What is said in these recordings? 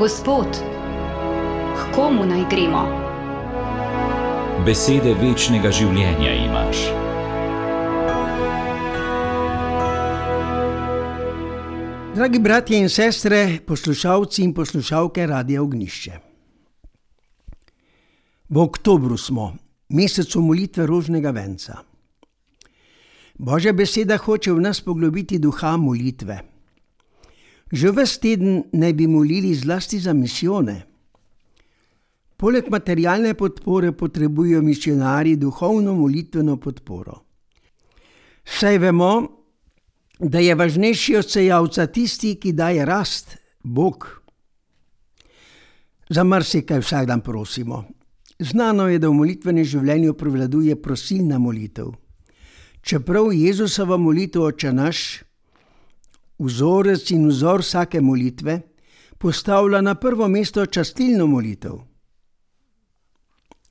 Gospod, k komu naj gremo? Besede večnega življenja imaš. Dragi bratje in sestre, poslušalci in poslušalke Radia Ognjišče. V oktobru smo, mesecu molitve rožnega venca. Božja beseda hoče v nas poglobiti duha molitve. Že ves teden naj bi molili zlasti za misijone. Poleg materialne podpore potrebujejo misijonarji duhovno molitveno podporo. Saj vemo, da je važnejši od sejavca tisti, ki daje rast, Bog. Za marsikaj vsak dan prosimo. Znano je, da v molitvenem življenju prevladuje prosilna molitev. Čeprav Jezusova molitev Oče naš, vzorec in vzor vsake molitve, postavlja na prvo mesto častilno molitev.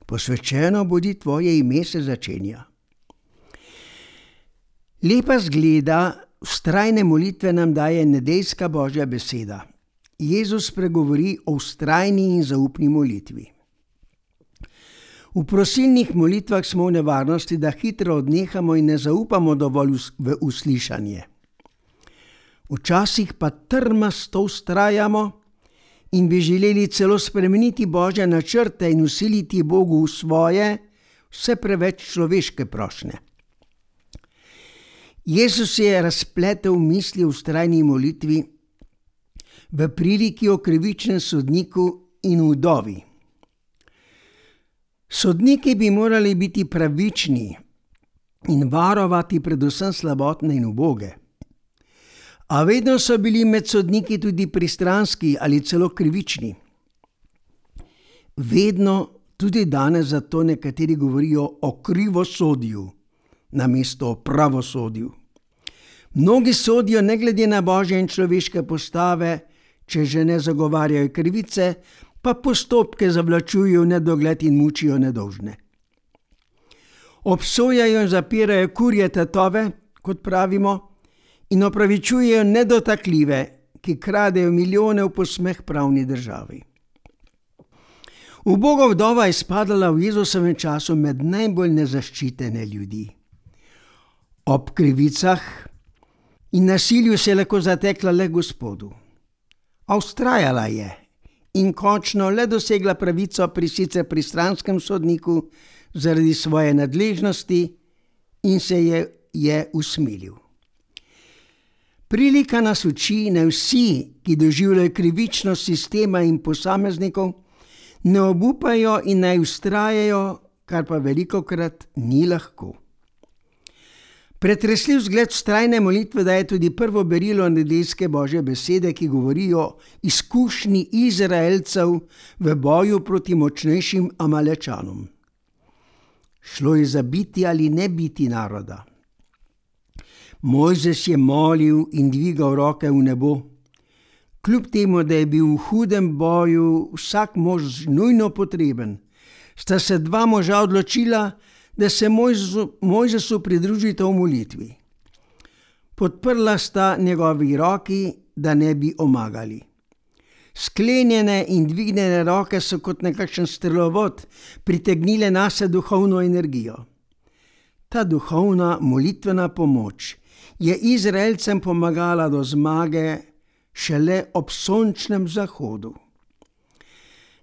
Posvečeno bodi tvoje ime se začenja. Lepa zgleda vztrajne molitve nam daje nedeljska Božja beseda. Jezus pregovori o vztrajni in zaupni molitvi. V prosilnih molitvah smo v nevarnosti, da hitro odnehamo in ne zaupamo dovolj v uslišanje. Včasih pa trmasto vztrajamo in bi želeli celo spremeniti Božje načrte in vsiliti Bogu v svoje, vse preveč človeške prošnje. Jezus je razpletel misli v vztrajni molitvi v priliki o krivičnem sodniku in vdovi. Sodniki bi morali biti pravični in varovati predvsem slabotne in uboge. A vedno so bili med sodniki tudi pristranski ali celo krivični. Vedno, tudi danes, zato nekateri govorijo o krivosodju namesto o pravosodju. Mnogi sodijo ne glede na božje in človeške postave, če že ne zagovarjajo krivice, pa postopke zavlačujejo v nedogled in mučijo nedolžne. Obsojajo in zapirajo kurje tatove, kot pravimo, in opravičujejo nedotakljive, ki kradejo milijone v posmeh pravni državi. Uboga vdova je spadala v Jezusovem času med najbolj nezaščitene ljudi. Ob krivicah in nasilju se je lahko zatekla le Gospodu. A vztrajala je in končno le dosegla pravico pri sicer pristranskem sodniku zaradi svoje nadležnosti in se je usmilil. Prilika nas uči, naj vsi, ki doživljajo krivičnost sistema in posameznikov, ne obupajo in naj vztrajajo, kar pa velikokrat ni lahko. Pretresljiv zgled vztrajne molitve daje tudi prvo berilo nedeljske Božje besede, ki govori o izkušnji Izraelcev v boju proti močnejšim Amalečanom. Šlo je za biti ali ne biti naroda. Mojzes je molil in dvigal roke v nebo. Kljub temu, da je bil v hudem boju vsak mož nujno potreben, sta se dva moža odločila, da se Mojzesu pridružita v molitvi. Podprla sta njegovi roki, da ne bi omagali. Sklenjene in dvignjene roke so kot nekakšen strelovod pritegnile nase duhovno energijo. Ta duhovna molitvena pomoč je Izraelcem pomagala do zmage šele ob sončnem zahodu.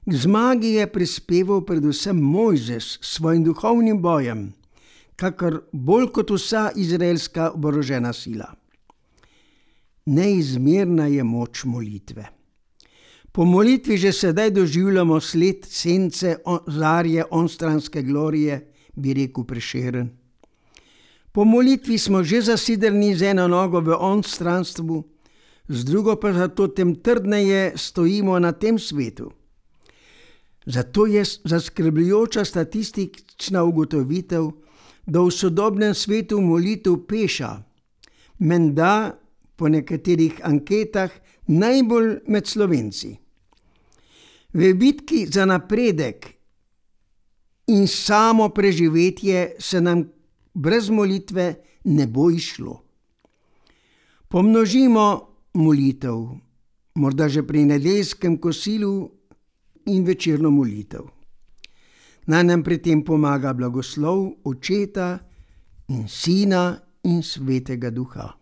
K zmagi je prispeval predvsem Mojzes s svojim duhovnim bojem, kakor bolj kot vsa izraelska oborožena sila. Neizmerna je moč molitve. Po molitvi že sedaj doživljamo sled sence zarje onstranske glorije, bi rekel Prešeren. Po molitvi smo že zasidrani z eno nogo v onstranstvu, z drugo pa zato tem trdneje stojimo na tem svetu. Zato je zaskrbljujoča statistična ugotovitev, da v sodobnem svetu molitev peša, menda po nekaterih anketah najbolj med Slovenci. V bitki za napredek in samo preživetje se nam brez molitve ne bo izšlo. Pomnožimo molitev, morda že pri nedeljskem kosilu in večerno molitev. Naj nam pri tem pomaga blagoslov Očeta in Sina in Svetega Duha.